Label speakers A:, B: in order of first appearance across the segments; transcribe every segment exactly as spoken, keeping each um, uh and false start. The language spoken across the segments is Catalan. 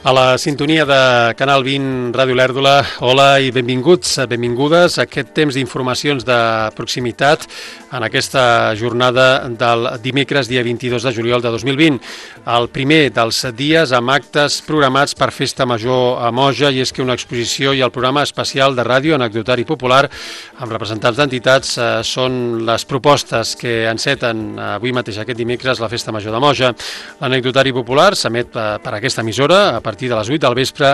A: A la sintonia de Canal vint, Ràdio Lèrdula, hola i benvinguts, benvingudes a aquest temps d'informacions de proximitat en aquesta jornada del dimecres, dia vint-i-dos de juliol de dos mil vint. El primer dels dies amb actes programats per Festa Major a Moja, i és que una exposició i el programa especial de ràdio anecdotari popular amb representants d'entitats eh, són les propostes que enceten avui mateix aquest dimecres la Festa Major de Moja. L'anecdotari popular s'emet per aquesta emissora a partir de les vuit del vespre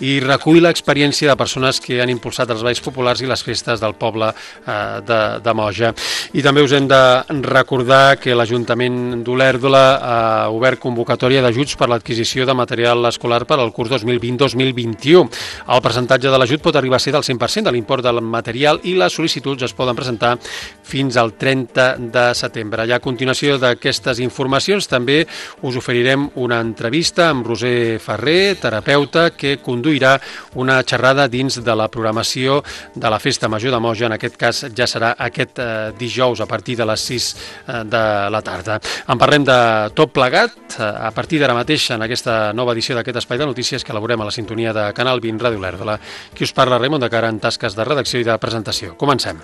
A: i recull l'experiència de persones que han impulsat els balls populars i les festes del poble eh, de, de Moja. I també us hem de recordar que l'Ajuntament d'Olèrdola ha obert convocatòria d'ajuts per l'adquisició de material escolar per al curs dos mil vint dos mil vint-i-u. El percentatge de l'ajut pot arribar a ser del cent per cent de l'import del material i les sol·licituds es poden presentar fins al trenta de setembre. I a continuació d'aquestes informacions també us oferirem una entrevista amb Roser Ferrer, terapeuta, que conduirà una xerrada dins de la programació de la Festa Major de Moja. En aquest cas ja serà aquest eh, dijous a partir de les sis eh, de la tarda. En parlem de tot plegat eh, a partir d'ara mateix en aquesta nova edició d'aquest espai de notícies que elaborem a la sintonia de Canal vint, Ràdio Lèrdula. Qui us parla, Raimon de Cara, en tasques de redacció i de presentació. Comencem.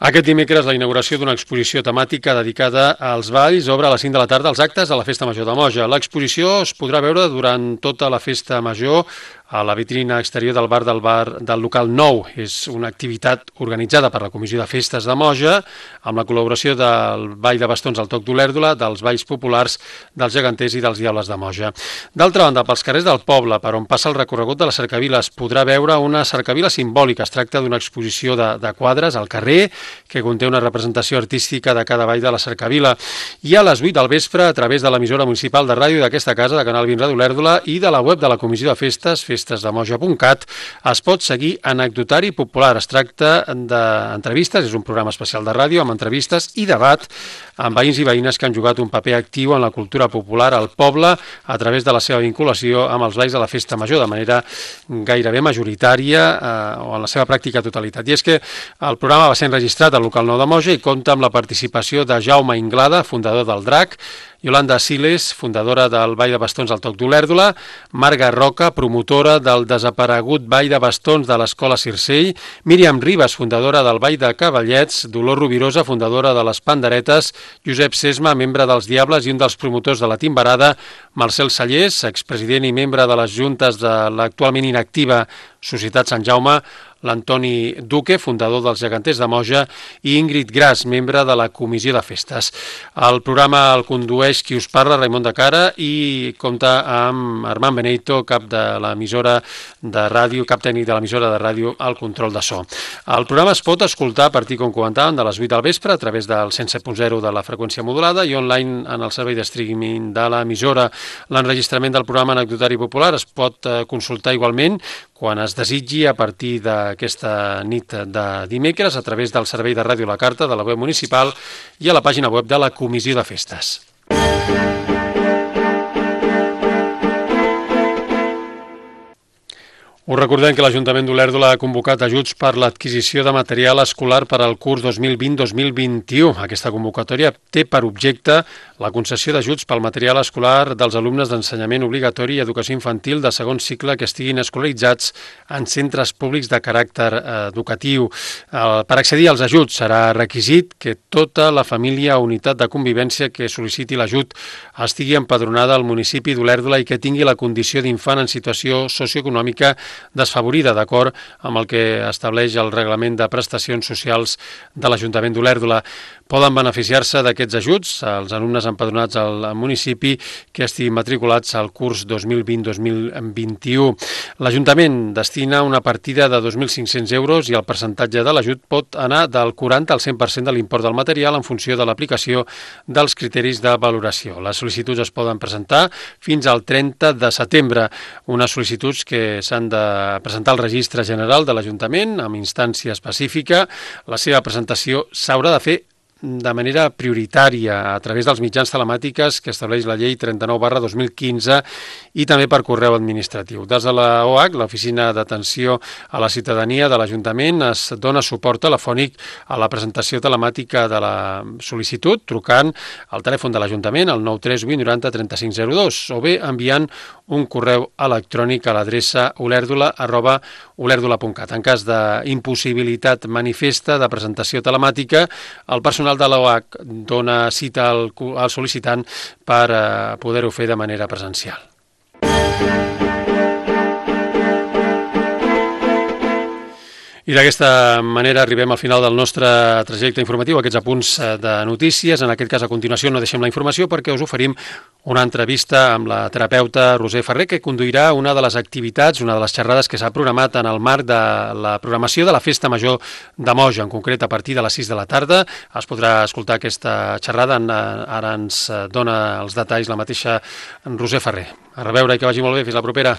A: Aquest dimecres la inauguració d'una exposició temàtica dedicada als balls obre a les cinc de la tarda els actes de la Festa Major de Moja. L'exposició es podrà veure durant tota la Festa Major a la vitrina exterior del bar del bar del local nou. És una activitat organitzada per la Comissió de Festes de Moja amb la col·laboració del Ball de Bastons al Toc d'Olèrdola, dels Balls Populars, dels Geganters i dels Diables de Moja. D'altra banda, pels carrers del poble, per on passa el recorregut de la cercavila, es podrà veure una cercavila simbòlica. Es tracta d'una exposició de, de quadres al carrer que conté una representació artística de cada ball de la cercavila. I a les vuit del vespre, a través de l'emissora municipal de ràdio d'aquesta casa, de Canal vint, Ràdio Lèrdula, i de la web de la Comissió de Festes, festesdemoja punt cat, es pot seguir Anecdotari Popular. Es tracta d'entrevistes, és un programa especial de ràdio amb entrevistes i debat amb veïns i veïnes que han jugat un paper actiu en la cultura popular al poble a través de la seva vinculació amb els balls de la Festa Major, de manera gairebé majoritària eh, o en la seva pràctica totalitat. I és que el programa va ser enregistrat al local nou de Moja i compta amb la participació de Jaume Inglada, fundador del Drac, Yolanda Siles, fundadora del Ball de Bastons al Toc d'Olèrdola, Marga Roca, promotora del desaparegut Ball de Bastons de l'Escola Circell, Míriam Ribas, fundadora del Ball de Cavallets, Dolors Rovirosa, fundadora de les Panderetes, Josep Sesma, membre dels Diables i un dels promotors de la Timbarada, Marcel Sallés, expresident i membre de les juntes de l'actualment inactiva Societat Sant Jaume, l'Antoni Duque, fundador dels Geganters de Moja, i Ingrid Gras, membre de la Comissió de Festes. El programa el condueix qui us parla, Raimon de Cara, i compta amb Armand Beneito, cap de l'emissora de ràdio, cap tècnic de l'emissora de ràdio al control de so. El programa es pot escoltar a partir, com comentàvem, de les vuit del vespre a través del cent set punt zero de la freqüència modulada i online en el servei de streaming de l'emissora. L'enregistrament del programa Anecdotari Popular es pot consultar igualment quan es desitgi a partir d'aquesta nit de dimecres a través del servei de ràdio La Carta de la web municipal i a la pàgina web de la Comissió de Festes. Us recordem que l'Ajuntament d'Olèrdola ha convocat ajuts per l'adquisició de material escolar per al curs dos mil vint dos mil vint-i-u. Aquesta convocatòria té per objecte la concessió d'ajuts pel material escolar dels alumnes d'ensenyament obligatori i educació infantil de segon cicle que estiguin escolaritzats en centres públics de caràcter educatiu. Per accedir als ajuts serà requisit que tota la família o unitat de convivència que sol·liciti l'ajut estigui empadronada al municipi d'Olèrdola i que tingui la condició d'infant en situació socioeconòmica desfavorida, d'acord amb el que estableix el reglament de prestacions socials de l'Ajuntament d'Olèrdola. Poden beneficiar-se d'aquests ajuts els alumnes empadronats al municipi que estiguin matriculats al curs dos mil vint dos mil vint-i-u. L'Ajuntament destina una partida de dos mil cinc-cents euros i el percentatge de l'ajut pot anar del quaranta al cent per cent de l'import del material en funció de l'aplicació dels criteris de valoració. Les sol·licituds es poden presentar fins al trenta de setembre. Unes sol·licituds que s'han de presentar al Registre General de l'Ajuntament amb instància específica. La seva presentació s'haurà de fer de manera prioritària a través dels mitjans telemàtiques que estableix la llei trenta-nou barra dos mil quinze i també per correu administratiu. Des de la O H, l'Oficina d'Atenció a la Ciutadania de l'Ajuntament, es dona suport telefònic a la presentació telemàtica de la sol·licitud trucant al telèfon de l'Ajuntament al nou tres vuit noranta trenta-cinc zero dos o bé enviant un correu electrònic a l'adreça olèrdula arroba olèrdula punt cat. En cas d'impossibilitat manifesta de presentació telemàtica, el personal de l'O H dona cita al, al sol·licitant per eh, poder-ho fer de manera presencial. I d'aquesta manera arribem al final del nostre trajecte informatiu, aquests apunts de notícies. En aquest cas, a continuació, no deixem la informació perquè us oferim una entrevista amb la terapeuta Roser Ferrer, que conduirà una de les activitats, una de les xerrades que s'ha programat en el marc de la programació de la Festa Major de Moja, en concret a partir de les sis de la tarda. Es podrà escoltar aquesta xerrada, ara ens dona els detalls la mateixa Roser Ferrer. A reveure i que vagi molt bé, fins la propera.